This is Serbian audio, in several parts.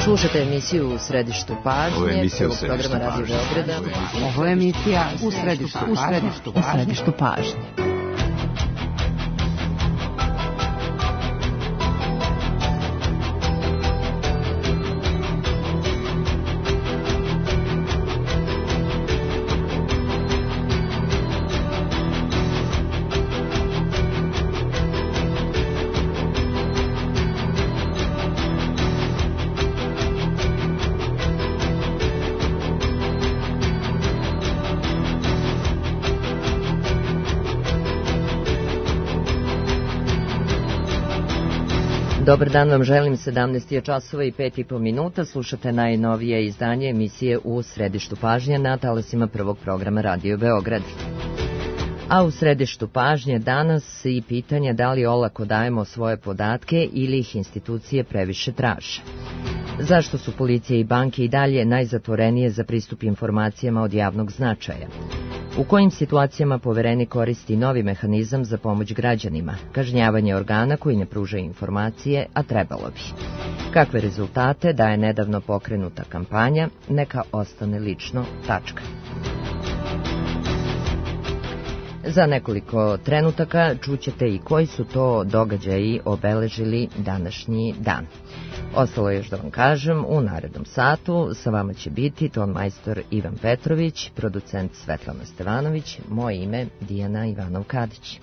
Slušate emisiju U središtu pažnje, prvog programa Radio Beograda. Ovo je emisija U središtu pažnje. Dobar dan vam želim, 17 je časova i 5,5 minuta, slušate najnovije izdanje emisije U središtu pažnje na talasima prvog programa Radio Beograd. A u središtu pažnje danas i pitanje da li olako dajemo svoje podatke ili ih institucije previše traže. Zašto su policija i banke i dalje najzatvorenije za pristup informacijama od javnog značaja? U kojim situacijama Poverenik koristi novi mehanizam za pomoć građanima, kažnjavanje organa koji ne pružaju informacije, a trebalo bi? Kakve rezultate daje nedavno pokrenuta kampanja Neka ostane lično, tačka. Za nekoliko trenutaka čućete i koji su to događaji obeležili današnji dan. Ostalo je još da vam kažem, u narednom satu sa vama će biti ton majstor Ivan Petrović, producent Svetlana Stevanović, moje ime Dijana Ivanov-Kadić.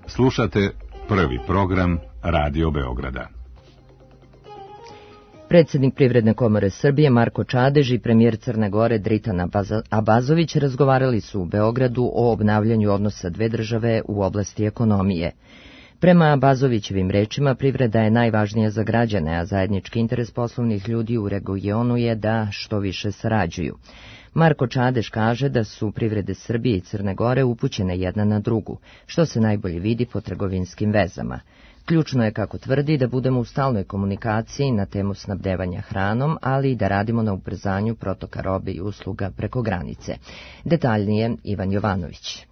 Slušate prvi program Radio Beograda. Predsjednik Privredne komore Srbije Marko Čadež i premijer Crne Gore Dritan Abazović razgovarali su u Beogradu o obnavljanju odnosa dve države u oblasti ekonomije. Prema Abazovićevim rečima, privreda je najvažnija za građane, a zajednički interes poslovnih ljudi u regionu je da što više sarađuju. Marko Čadež kaže da su privrede Srbije i Crne Gore upućene jedna na drugu, što se najbolje vidi po trgovinskim vezama. Ključno je, kako tvrdi, da budemo u stalnoj komunikaciji na temu snabdevanja hranom, ali i da radimo na ubrzanju protoka robe i usluga preko granice. Detaljnije Ivan Jovanović.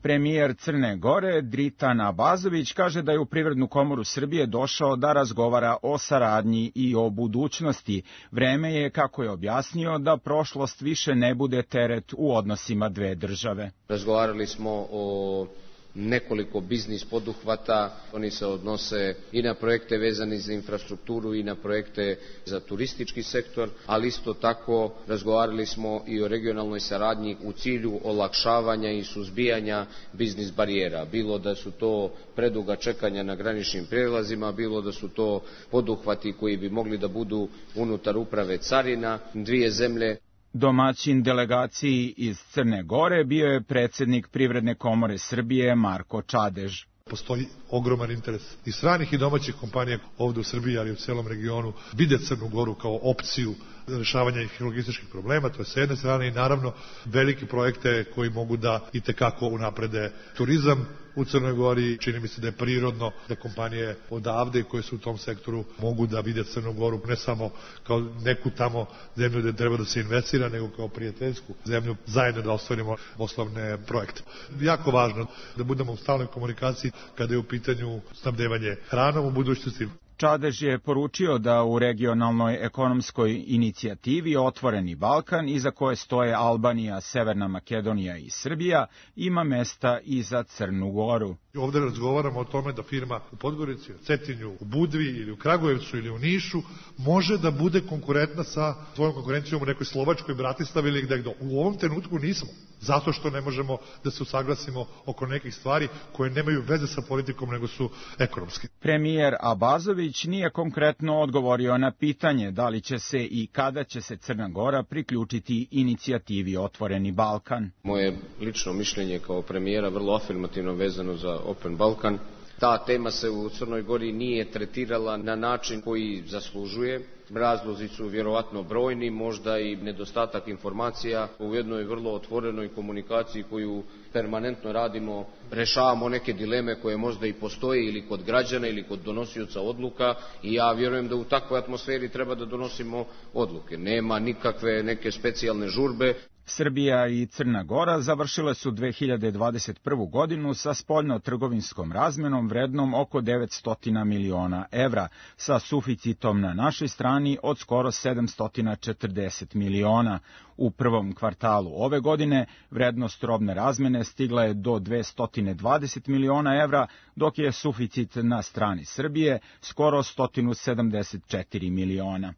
Premijer Crne Gore Dritan Abazović kaže da je u Privrednu komoru Srbije došao da razgovara o saradnji i o budućnosti. Vreme je, kako je objasnio, da prošlost više ne bude teret u odnosima dve države. Razgovarali smo o nekoliko biznis poduhvata, oni se odnose i na projekte vezane za infrastrukturu i na projekte za turistički sektor, ali isto tako razgovarali smo i o regionalnoj saradnji u cilju olakšavanja i suzbijanja biznis barijera, bilo da su to preduga čekanja na graničnim prijelazima, bilo da su to poduhvati koji bi mogli da budu unutar uprave carina dvije zemlje. Domaćin delegaciji iz Crne Gore bio je predsjednik Privredne komore Srbije Marko Čadež. Postoji ogroman interes i stranih i domaćih kompanija ovdje u Srbiji, ali i u celom regionu, vide Crnu Goru kao opciju rješavanja logističkih problema, to je s jedne strane, i naravno velike projekte koji mogu da itekako unaprede turizam u Crnoj Gori. Čini mi se da je prirodno da kompanije odavde koje su u tom sektoru mogu da vide Crnu Goru ne samo kao neku tamo zemlju gde treba da se investira, nego kao prijateljsku zemlju, zajedno da ostvarimo poslovne projekte. Jako važno da budemo u stalnoj komunikaciji kada je u pitanju snabdevanje hranom u budućnosti. Čadež je poručio da u regionalnoj ekonomskoj inicijativi Otvoreni Balkan, iza koje stoje Albanija, Severna Makedonija i Srbija, ima mesta i za Crnu Goru. Ovdje razgovaramo o tome da firma u Podgorici, u Cetinju, u Budvi ili u Kragujevcu ili u Nišu može da bude konkurentna sa svojom konkurencijom u nekoj Slovačkoj, Bratislavi ili gde. U ovom trenutku nismo, zato što ne možemo da se usaglasimo oko nekih stvari koje nemaju veze sa politikom, nego su ekonomski. Premijer Abazović nije konkretno odgovorio na pitanje da li će se i kada će se Crna Gora priključiti inicijativi Otvoreni Balkan. Moje lično mišljenje kao premijera vrlo afirmativno vezano za Open Balkan. Ta tema se u Crnoj Gori nije tretirala na način koji zaslužuje. Razlozi su vjerovatno brojni, možda i nedostatak informacija. U jednoj vrlo otvorenoj komunikaciji koju permanentno radimo, rešavamo neke dileme koje možda i postoje ili kod građana ili kod donosioca odluka i ja vjerujem da u takvoj atmosferi treba da donosimo odluke. Nema nikakve neke specijalne žurbe. Srbija i Crna Gora završile su 2021. godinu sa spoljno-trgovinskom razmenom vrednom oko 900 miliona evra, sa suficitom na našoj strani od skoro 740 miliona. U prvom kvartalu ove godine vrednost robne razmene stigla je do 220 miliona evra, dok je suficit na strani Srbije skoro 174 miliona.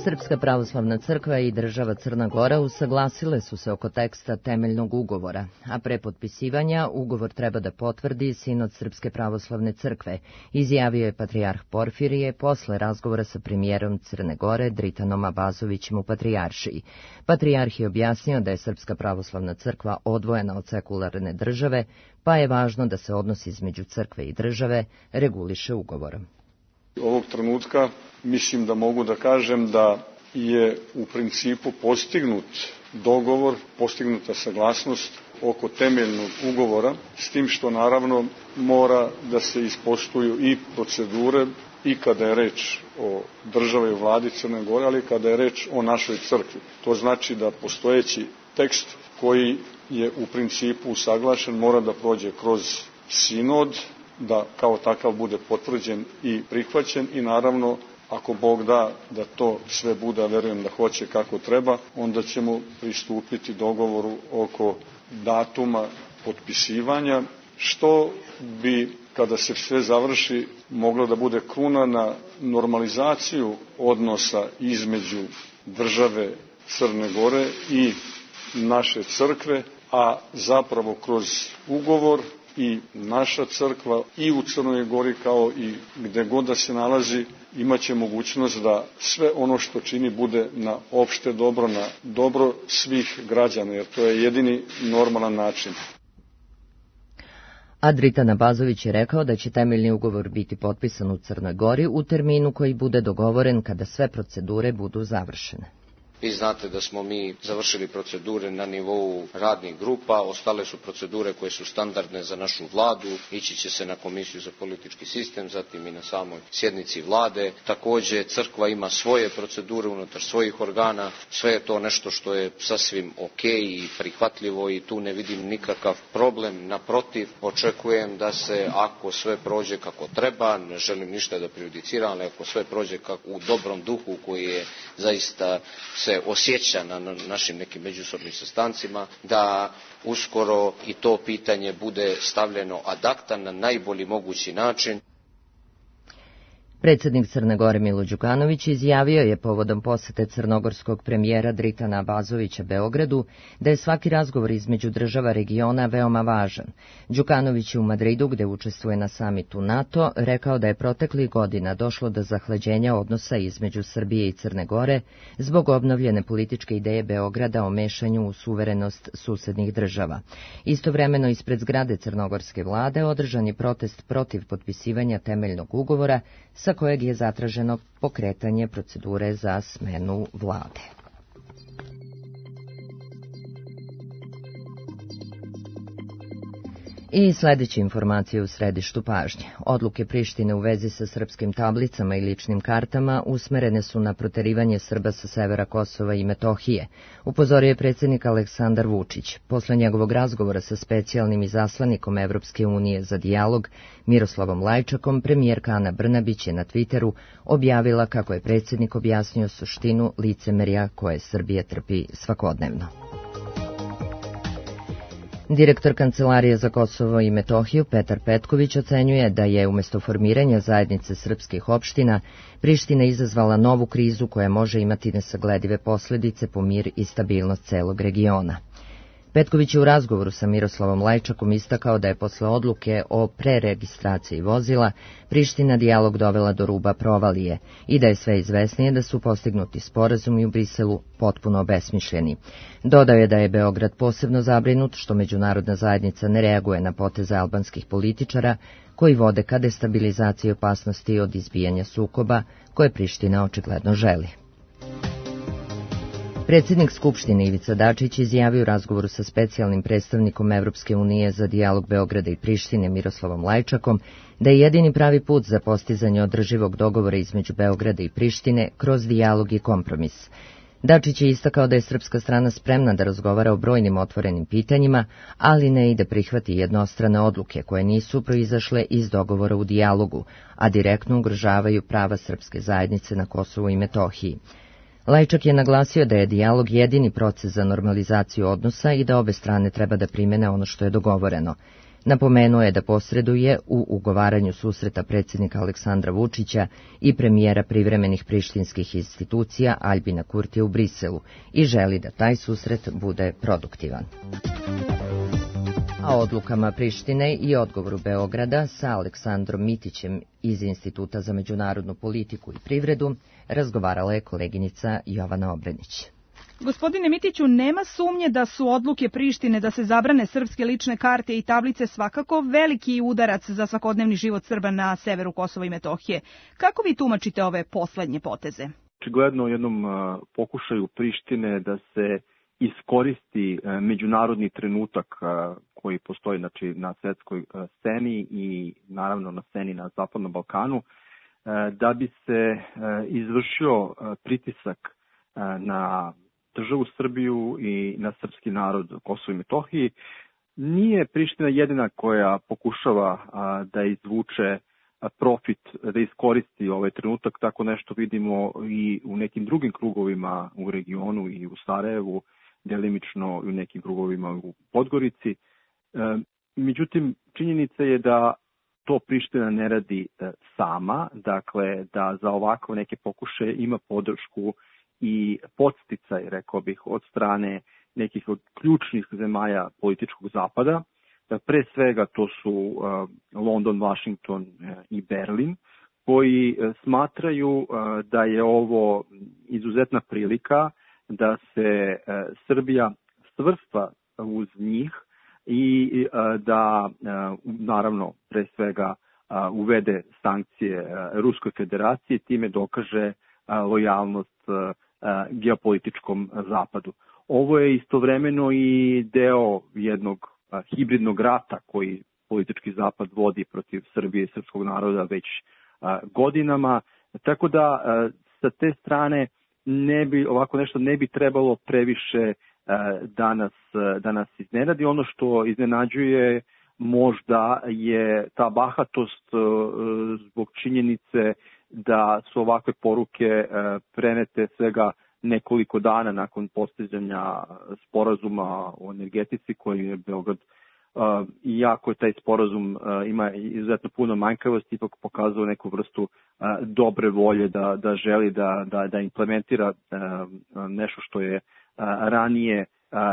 Srpska pravoslavna crkva i država Crna Gora usaglasile su se oko teksta temeljnog ugovora, a pre potpisivanja ugovor treba da potvrdi Sinod Srpske pravoslavne crkve, izjavio je patrijarh Porfirije posle razgovora sa premijerom Crne Gore Dritanom Abazovićem u Patrijaršiji. Patrijarh je objasnio da je Srpska pravoslavna crkva odvojena od sekularne države, pa je važno da se odnos između crkve i države reguliše ugovorom. Ovog trenutka mislim da mogu da kažem da je u principu postignut dogovor, postignuta saglasnost oko temeljnog ugovora, s tim što naravno mora da se ispoštuju i procedure i kada je reč o državi i vladi Crne Gore, ali kada je reč o našoj crkvi. To znači da postojeći tekst koji je u principu usaglašen mora da prođe kroz sinod, da kao takav bude potvrđen i prihvaćen i naravno ako Bog da da to sve bude, a verujem da hoće kako treba, onda ćemo pristupiti dogovoru oko datuma potpisivanja, što bi kada se sve završi moglo da bude kruna na normalizaciju odnosa između države Crne Gore i naše crkve, a zapravo kroz ugovor i naša crkva i u Crnoj Gori kao i gde god da se nalazi imaće mogućnost da sve ono što čini bude na opšte dobro, na dobro svih građana, jer to je jedini normalan način. A Dritan Abazović je rekao da će temeljni ugovor biti potpisan u Crnoj Gori u terminu koji bude dogovoren kada sve procedure budu završene. Vi znate da smo mi završili procedure na nivou radnih grupa, ostale su procedure koje su standardne za našu vladu, ići će se na Komisiju za politički sistem, zatim i na samoj sjednici vlade. Također crkva ima svoje procedure unutar svojih organa, sve je to nešto što je sasvim ok i prihvatljivo i tu ne vidim nikakav problem, naprotiv, očekujem da se ako sve prođe kako treba, ne želim ništa da prejudiciram, ali ako sve prođe u dobrom duhu koji je zaista se osjeća na našim nekim međusobnim sastancima, da uskoro i to pitanje bude stavljeno ad acta na najbolji mogući način. Predsjednik Crne Gore Milo Đukanović izjavio je povodom posete crnogorskog premijera Dritana Abazovića Beogradu da je svaki razgovor između država regiona veoma važan. Đukanović je u Madridu, gde učestvuje na samitu NATO, rekao da je proteklih godina došlo do zahlađenja odnosa između Srbije i Crne Gore zbog obnovljene političke ideje Beograda o mešanju u suverenost susednih država. Istovremeno ispred zgrade crnogorske vlade održan je protest protiv potpisivanja temeljnog ugovora sa kojeg je zatraženo pokretanje procedure za smenu vlade. I sljedeće informacije u središtu pažnje. Odluke Prištine u vezi sa srpskim tablicama i ličnim kartama usmerene su na proterivanje Srba sa severa Kosova i Metohije, upozorio je predsjednik Aleksandar Vučić. Posle njegovog razgovora sa specijalnim izaslanikom Evropske unije za dijalog Miroslavom Lajčakom, premijerka Ana Brnabić je na Twitteru objavila kako je predsjednik objasnio suštinu licemerja koje Srbija trpi svakodnevno. Direktor Kancelarije za Kosovo i Metohiju Petar Petković ocenjuje da je umjesto formiranja zajednice srpskih opština Priština izazvala novu krizu koja može imati nesagledive posljedice po mir i stabilnost celog regiona. Petković je u razgovoru sa Miroslavom Lajčakom istakao da je posle odluke o preregistraciji vozila Priština dijalog dovela do ruba provalije i da je sve izvesnije da su postignuti sporazumi u Briselu potpuno obesmišljeni. Dodao je da je Beograd posebno zabrinut što međunarodna zajednica ne reaguje na poteze albanskih političara koji vode ka destabilizaciji opasnosti od izbijanja sukoba koje Priština očigledno želi. Predsjednik Skupštine Ivica Dačić izjavio u razgovoru sa specijalnim predstavnikom Evropske unije za dijalog Beograda i Prištine Miroslavom Lajčakom da je jedini pravi put za postizanje održivog dogovora između Beograda i Prištine kroz dijalog i kompromis. Dačić je istakao da je srpska strana spremna da razgovara o brojnim otvorenim pitanjima, ali ne i da prihvati jednostrane odluke koje nisu proizašle iz dogovora u dijalogu, a direktno ugrožavaju prava srpske zajednice na Kosovu i Metohiji. Lajčak je naglasio da je dijalog jedini proces za normalizaciju odnosa i da obe strane treba da primene ono što je dogovoreno. Napomenuo je da posreduje u ugovaranju susreta predsjednika Aleksandra Vučića i premijera privremenih prištinskih institucija Aljbina Kurtija u Briselu i želi da taj susret bude produktivan. A odlukama Prištine i odgovoru Beograda sa Aleksandrom Mitićem iz Instituta za međunarodnu politiku i privredu razgovarala je koleginica Jovana Obrenić. Gospodine Mitiću, nema sumnje da su odluke Prištine da se zabrane srpske lične karte i tablice svakako veliki udarac za svakodnevni život Srba na severu Kosova i Metohije. Kako vi tumačite ove poslednje poteze? Očigledno u jednom pokušaju Prištine da se iskoristi međunarodni trenutak koji postoji na svetskoj sceni i naravno na sceni na Zapadnom Balkanu, da bi se izvršio pritisak na državu Srbiju i na srpski narod Kosovo i Metohiji. Nije Priština jedina koja pokušava da izvuče profit, da iskoristi ovaj trenutak. Tako nešto vidimo i u nekim drugim krugovima u regionu i u Sarajevu, delimično i u nekim krugovima u Podgorici. Međutim, činjenica je da to Priština ne radi sama, dakle da za ovako neke pokušaje ima podršku i podsticaj, rekao bih, od strane nekih od ključnih zemalja političkog zapada. Pre svega to su London, Washington i Berlin, koji smatraju da je ovo izuzetna prilika da se Srbija svrsta uz njih i da naravno pre svega uvede sankcije Ruskoj federaciji, time dokaže lojalnost geopolitičkom zapadu. Ovo je istovremeno i deo jednog hibridnog rata koji politički zapad vodi protiv Srbije i srpskog naroda već godinama, tako da sa te strane ovako nešto ne bi trebalo previše da nas iznenadi. Ono što iznenađuje možda je ta bahatost zbog činjenice da su ovakve poruke prenete svega nekoliko dana nakon postizanja sporazuma o energetici koji je Beograd, iako je taj sporazum ima izuzetno puno manjkavosti, ipak pokazao neku vrstu dobre volje da želi da implementira nešto što je ranije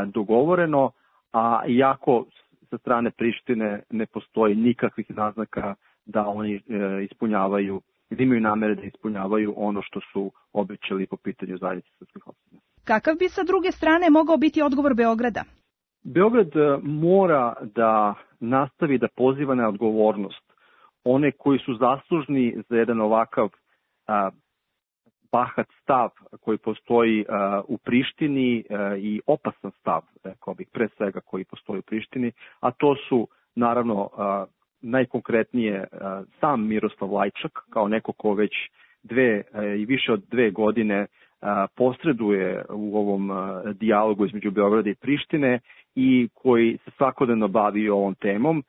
dogovoreno, a iako sa strane Prištine ne postoji nikakvih naznaka da oni ispunjavaju, da imaju namere da ispunjavaju ono što su obećali po pitanju zajednice srpskih opština. Kakav bi sa druge strane mogao biti odgovor Beograda? Beograd mora da nastavi da poziva na odgovornost one koji su zaslužni za jedan ovakav bahat stav koji postoji u Prištini i opasan stav, rekao bih, pre svega koji postoji u Prištini, a to su naravno najkonkretnije sam Miroslav Lajčak kao neko ko već i više od 2 godine posreduje u ovom dijalogu između Beograda i Prištine i koji se svakodnevno bavi ovom temom.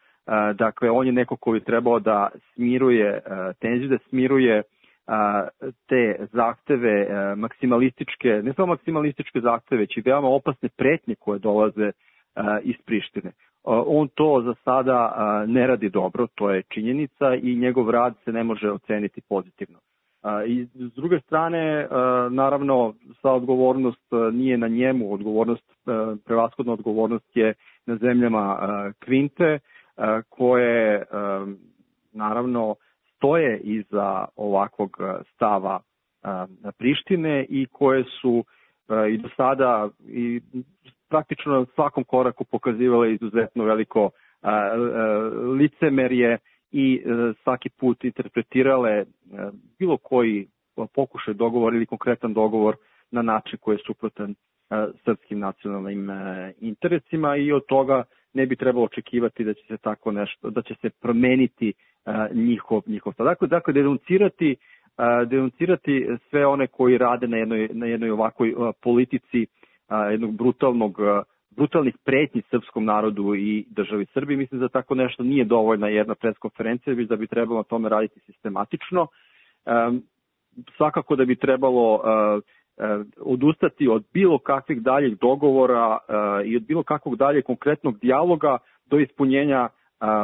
Dakle, on je neko koji je trebao da smiruje tenziju, da smiruje te zahteve maksimalističke, ne samo maksimalističke zahteve, već i veoma opasne pretnje koje dolaze iz Prištine. On to za sada ne radi dobro, to je činjenica i njegov rad se ne može oceniti pozitivno. I s druge strane, naravno, sva odgovornost nije na njemu, prevashodna odgovornost je na zemljama Kvinte, koje naravno stoje iza ovakvog stava Prištine i koje su i do sada i praktično na svakom koraku pokazivale izuzetno veliko licemerje i svaki put interpretirale bilo koji pokušaj dogovor ili konkretan dogovor na način koji je suprotan srpskim nacionalnim interesima i od toga ne bi trebalo očekivati da će se tako nešto, da će se promeniti njihov stav. Dakle, denuncirati sve one koji rade na jednoj ovakvoj politici jednog brutalnih pretnji srpskom narodu i državi Srbiji. Mislim da tako nešto nije dovoljna jedna preskonferencija, već da bi trebalo na tome raditi sistematično. Svakako da bi trebalo odustati od bilo kakvih daljih dogovora i od bilo kakvog daljeg konkretnog dijaloga do ispunjenja,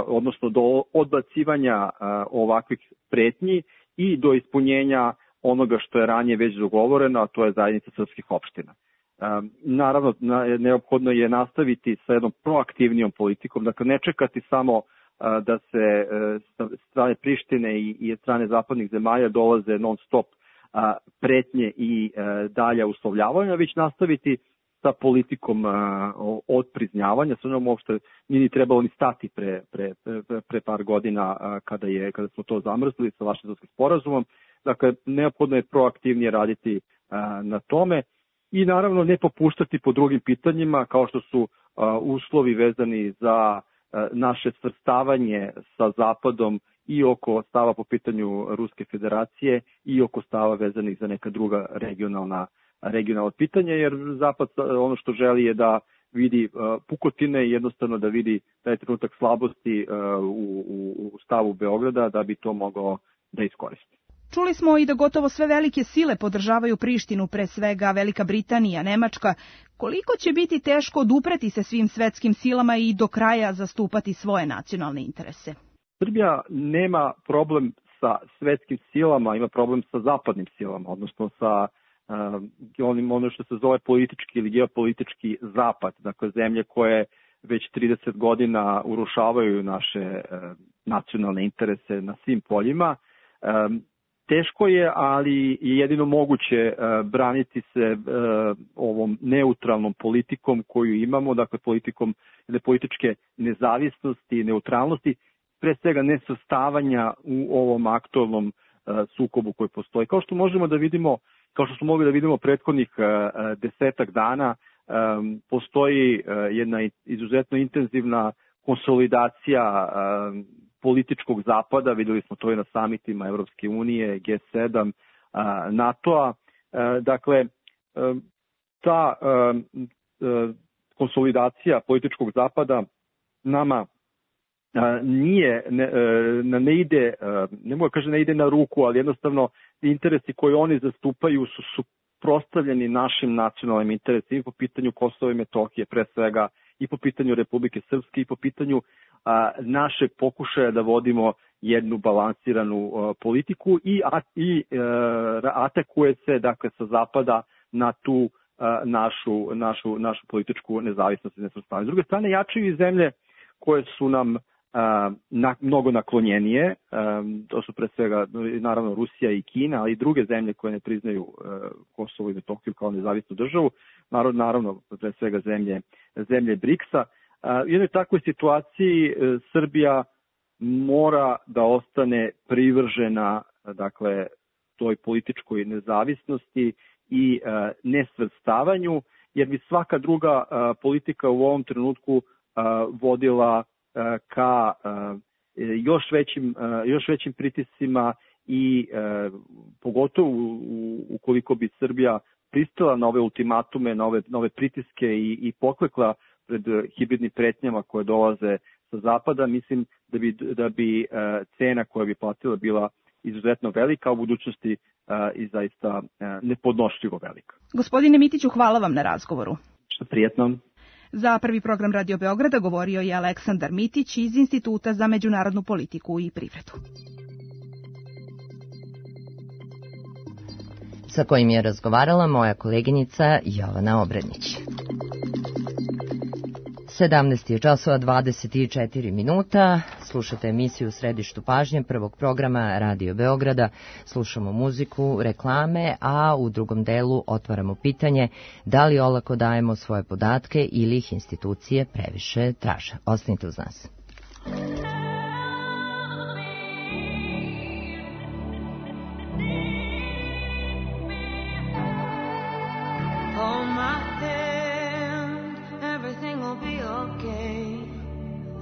odnosno do odbacivanja ovakvih pretnji i do ispunjenja onoga što je ranije već dogovoreno, a to je zajednica srpskih opština. Naravno, neophodno je nastaviti sa jednom proaktivnijom politikom, dakle ne čekati samo da se sa strane Prištine i od strane zapadnih zemalja dolaze non stop pretnje i dalja uslovljavanja, već nastaviti sa politikom odpriznjavanja, sa njom uopšte nije ni trebalo ni stati pre par godina kada smo to zamrzli sa Vašingtonskim sporazumom. Dakle, neophodno je proaktivnije raditi na tome i naravno ne popuštati po drugim pitanjima kao što su uslovi vezani za naše svrstavanje sa Zapadom i oko stava po pitanju Ruske federacije i oko stava vezanih za neka druga regionalna pitanja, jer Zapad ono što želi je da vidi pukotine i jednostavno da vidi taj trenutak slabosti u stavu Beograda da bi to mogao da iskoristi. Čuli smo i da gotovo sve velike sile podržavaju Prištinu, pre svega Velika Britanija, Nemačka. Koliko će biti teško odupreti se svim svetskim silama i do kraja zastupati svoje nacionalne interese? Srbija nema problem sa svetskim silama, ima problem sa zapadnim silama, odnosno sa ono što se zove politički ili geopolitički zapad, dakle zemlje koje već 30 godina urušavaju naše nacionalne interese na svim poljima. Teško je, ali je jedino moguće braniti se ovom neutralnom politikom koju imamo, dakle politikom političke nezavisnosti, neutralnosti, pre svega nesvrstavanja u ovom aktualnom sukobu koji postoji. Kao što možemo da vidimo, kao što smo mogli da vidimo prethodnih 10 dana, postoji jedna izuzetno intenzivna konsolidacija političkog zapada, videli smo to i na samitima Evropske unije, G7, NATO-a. Dakle, ta konsolidacija političkog zapada nama ne mogu kažem ne ide na ruku, ali jednostavno interesi koje oni zastupaju su suprotstavljeni našim nacionalnim interesima i po pitanju Kosova i Metohije pre svega, i po pitanju Republike Srpske i po pitanju našeg pokušaja da vodimo jednu balansiranu politiku i atakuje se dakle sa zapada na tu našu političku nezavisnost i nesvrstavanje. S druge strane, jačaju i zemlje koje su nam mnogo naklonjenije, to su pre svega naravno Rusija i Kina, ali i druge zemlje koje ne priznaju Kosovo i Metohiju kao nezavisnu državu, naravno pre svega zemlje BRICS-a. U jednoj takvoj situaciji Srbija mora da ostane privržena dakle toj političkoj nezavisnosti i nesvrstavanju, jer bi svaka druga politika u ovom trenutku vodila ka još većim pritiscima i pogotovo ukoliko bi Srbija pristala na ove ultimatume, na ove pritiske i poklekla pred hibridnim pretnjama koje dolaze sa zapada, mislim da bi cena koja bi platila bila izuzetno velika, a u budućnosti i zaista nepodnošljivo velika. Gospodine Mitiću, hvala vam na razgovoru. Što prijetno. Za Prvi program Radio Beograda govorio je Aleksandar Mitić iz Instituta za međunarodnu politiku i privredu. sa kojim je razgovarala moja koleginica Jovana Obradnić. 17 je časova 24 minuta, slušate emisiju u središtu pažnje prvog programa Radio Beograda, slušamo muziku, reklame, a u drugom delu otvaramo pitanje da li olako dajemo svoje podatke ili ih institucije previše traže. Ostanite uz nas.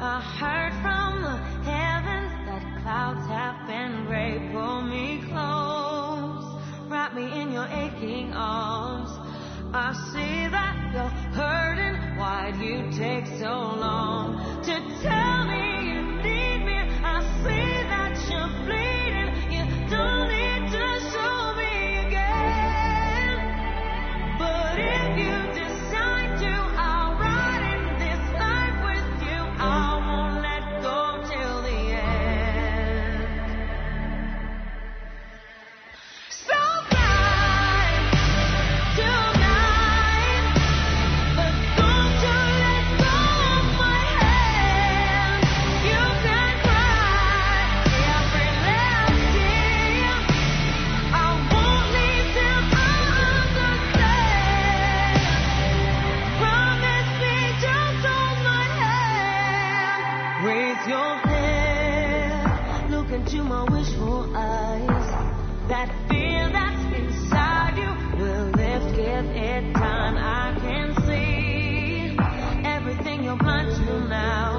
I heard from the heavens that clouds have been gray. Pull me close, wrap me in your aching arms. I see that you're hurting. Why'd you take so long to tell me you need me? I see that you're bleeding. You don't need to show me again. But if you decide to, I'll ride in this life with you. I won't let go till the end. So fly tonight, but don't you let go of my hand. You can cry every last tear. I won't leave till I understand. Promise me, just hold my hand. Raise your head, look into my wishful eyes. That fear that's inside you will lift, give it time. I can see everything you're blind to now.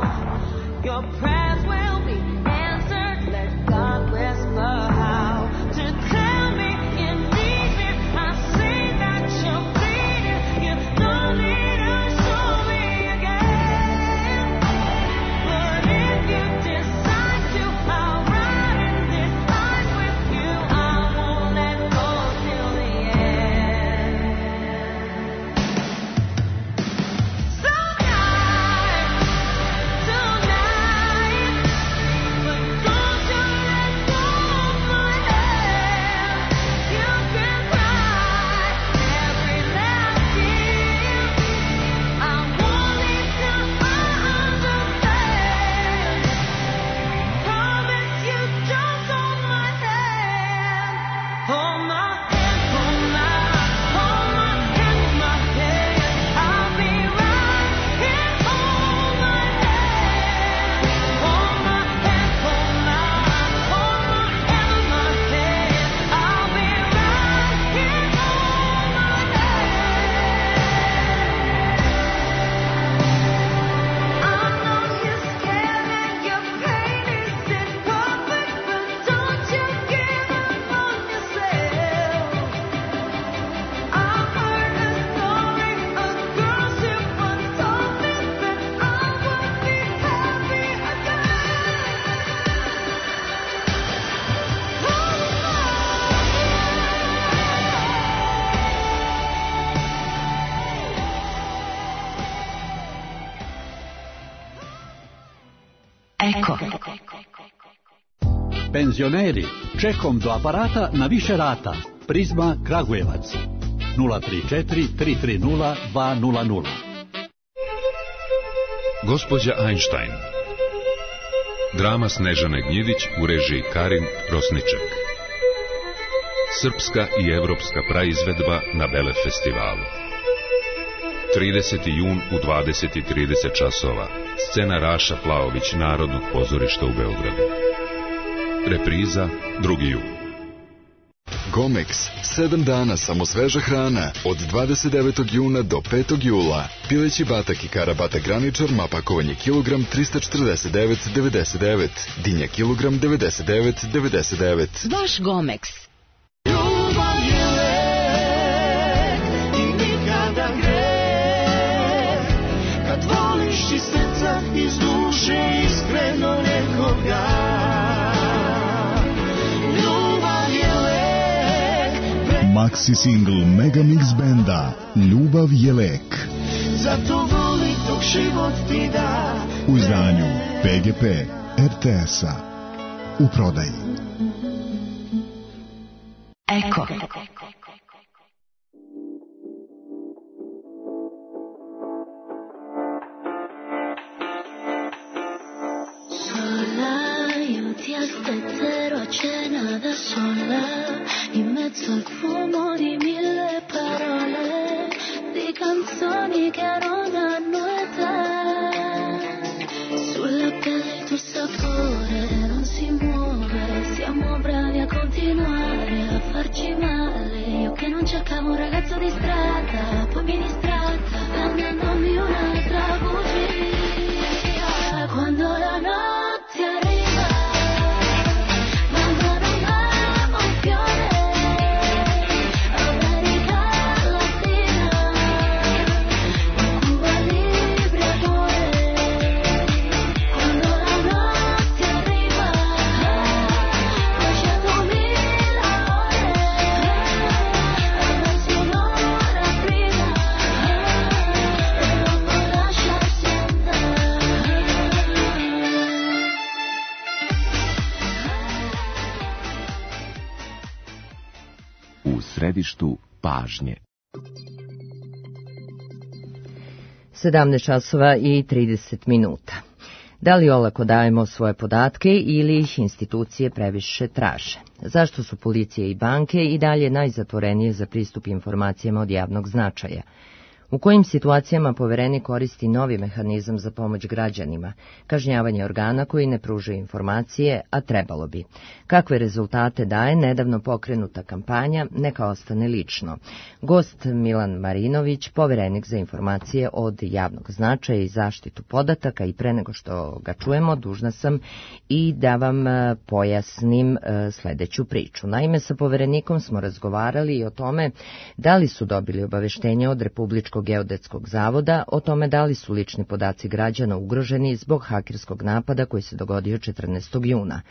Your prayers will be answered. Let God whisper how to tell me you need me. I see that you're bleeding. You don't need to show me again. But if you decide to, I'll ride in this life with you. I won't let go till the end. So tonight, but don't you let go of my hand. You can cry every last tear. I won't leave till I understand. Promise you, just hold my hand. Hold my hand, hold my hand, my hand. I'll be right here. Hold my hand. Hold my hand, hold my hand, my hand. I'll be right here. Hold my hand. I know you're scared and your pain isn't perfect, but don't you give up on yourself. I've heard a story, a girl she once told me that I would be happy Eko. Penzioneri, čekom do aparata na više rata. Prizma Kragujevac 034 330 200. Gospođa Einstein. Drama Snežane Gnjidić u režiji Karin Rosniček. Srpska i evropska praizvedba na Bele festivalu. 30. jun u 20:30 časova. Scena Raša Plaović Narodnog pozorišta u Beogradu. Repriza 2. jun. Gomex, 7 dana samo sveža hrana, od 29. juna do 5. jula. Pileći batak i kara batak graničar, mapakovanje kilogram 349,99, dinja kilogram 99,99. Vaš Gomex. Ljubav je lek i nikada greh, kad voliš iz srca, iz duše, iskreno nekoga. Ljubav je lek. Maxi single Megamix benda Ljubav je lek. Zato voli dok život ti da. U izdanju PGP RTS-a. U prodaji. Eko. stette cena da sola in mezzo al fumo di 1000 parole di canzoni che non hanno età. Sulla pelle il tuo sapore non si muove, siamo bravi a continuare a farci male. Io che non cercavo un ragazzo di strada, poi mi distratta vendendomi un'altra bugia. Quando la notte arriva, mandano un fiore, America Latina, Cuba Libre amore. Quando la notte arriva, 200.000 ore, avanzi un'ora prima, e dopo lasciarsi andare. U središtu pažnje. 17 časova i 30 minuta. Da li olako dajemo svoje podatke ili ih institucije previše traže? Zašto su policije i banke i dalje najzatvorenije za pristup informacijama od javnog značaja? U kojim situacijama Poverenik koristi novi mehanizam za pomoć građanima, kažnjavanje organa koji ne pružaju informacije, a trebalo bi? Kakve rezultate daje nedavno pokrenuta kampanja Neka ostane lično? Gost Milan Marinović, Poverenik za informacije od javnog značaja i zaštitu podataka, i pre nego što ga čujemo, dužna sam i da vam pojasnim sledeću priču. Naime, sa Poverenikom smo razgovarali i o tome da li su dobili obaveštenje od Republičkog geodetskog zavoda o tome da li su lični podaci građana ugroženi zbog hakerskog napada koji se dogodio 14. juna.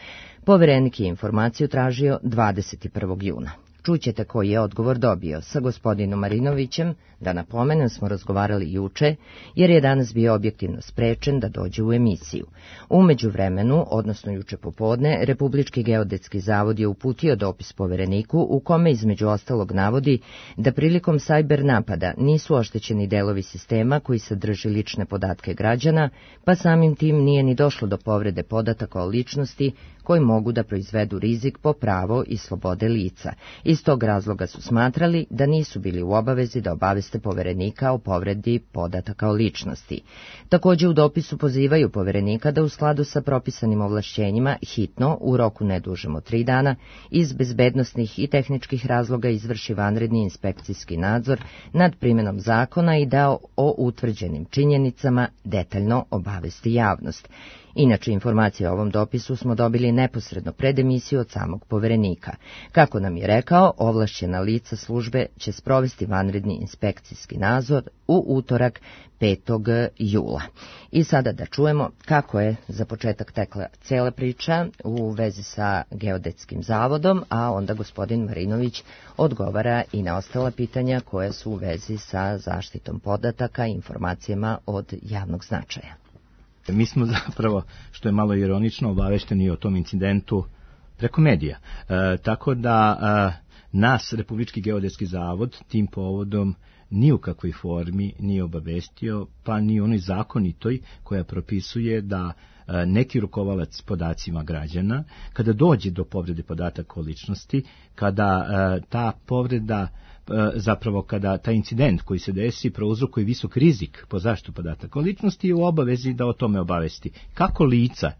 Poverenik je informaciju tražio 21. juna. Čućete koji je odgovor dobio. Sa gospodinom Marinovićem, da napomenem, smo razgovarali juče, jer je danas bio objektivno sprečen da dođe u emisiju. U međuvremenu, odnosno juče popodne, Republički geodetski zavod je uputio dopis Povereniku u kome između ostalog navodi da prilikom sajber napada nisu oštećeni delovi sistema koji sadrži lične podatke građana, pa samim tim nije ni došlo do povrede podataka o ličnosti koji mogu da proizvedu rizik po pravo i slobode lica. Iz tog razloga su smatrali da nisu bili u obavezi da obaveste Poverenika o povredi podataka o ličnosti. Takođe u dopisu pozivaju Poverenika da u skladu sa propisanim ovlašćenjima hitno, u roku ne dužem od 3 dana, iz bezbednosnih i tehničkih razloga izvrši vanredni inspekcijski nadzor nad primenom zakona i da o utvrđenim činjenicama detaljno obavesti javnost. Inače, informacije o ovom dopisu smo dobili neposredno pred emisiju od samog Poverenika. Kako nam je rekao, ovlašćena lica službe će sprovesti vanredni inspekcijski nadzor u utorak 5. jula. I sada da čujemo kako je za početak tekla cela priča u vezi sa Geodetskim zavodom, a onda gospodin Marinović odgovara i na ostala pitanja koja su u vezi sa zaštitom podataka i informacijama od javnog značaja. Mi smo zapravo, što je malo ironično, obavešteni o tom incidentu preko medija. Tako da nas, Republički geodetski zavod, tim povodom ni u kakvoj formi nije obavestio, pa ni onoj zakonitoj koja propisuje da neki rukovalac podacima građana, kada dođe do povrede podataka o ličnosti, kada ta povreda, zapravo kada taj incident koji se desi prouzrokuje visok rizik po zaštitu podataka o ličnosti, je u obavezi da o tome obavesti kako lica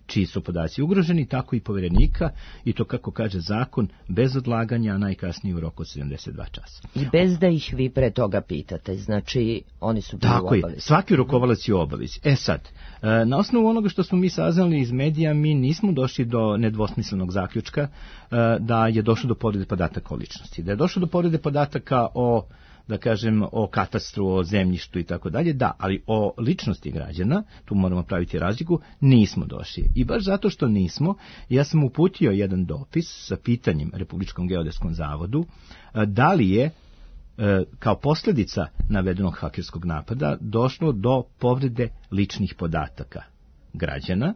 čiji su podaci ugroženi, tako i Poverenika, i to, kako kaže zakon, bez odlaganja, a najkasnije u roku od 72 časa. I bez da ih vi pre toga pitate, znači oni su bili u obavezi. Tako je, svaki rukovalac je u obavezi. Sad, na osnovu onoga što smo mi saznali iz medija, mi nismo došli do nedvosmislenog zaključka da je došlo do povrede podataka o ličnosti. Da je došlo do povrede podataka o, da kažem, o katastru, o zemljištu i tako dalje, da, ali o ličnosti građana, tu moramo praviti razliku, nismo došli. I baš zato što nismo, ja sam uputio jedan dopis sa pitanjem Republičkom geodetskom zavodu da li je kao posljedica navedenog hakerskog napada došlo do povrede ličnih podataka građana,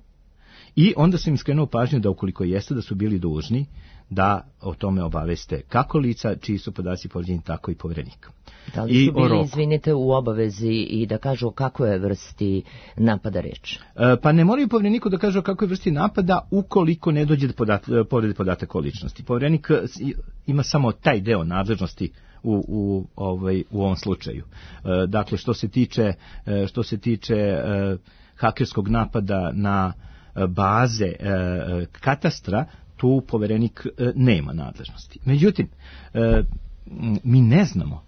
i onda sam im skrenuo pažnju da ukoliko jeste, da su bili dužni da o tome obaveste kako lica čiji su podaci povrijeđeni, tako i Poverenika. Da li su bili, izvinite, u obavezi i da kažu o kakvoj vrsti napada reč? Pa ne moraju Povereniku da kažu o kakvoj vrsti napada ukoliko ne dođe do povrede podataka o ličnosti. Poverenik ima samo taj deo nadležnosti u ovom slučaju. Dakle, što se tiče hakerskog napada na baze katastra, tu Poverenik nema nadležnosti. Međutim, mi ne znamo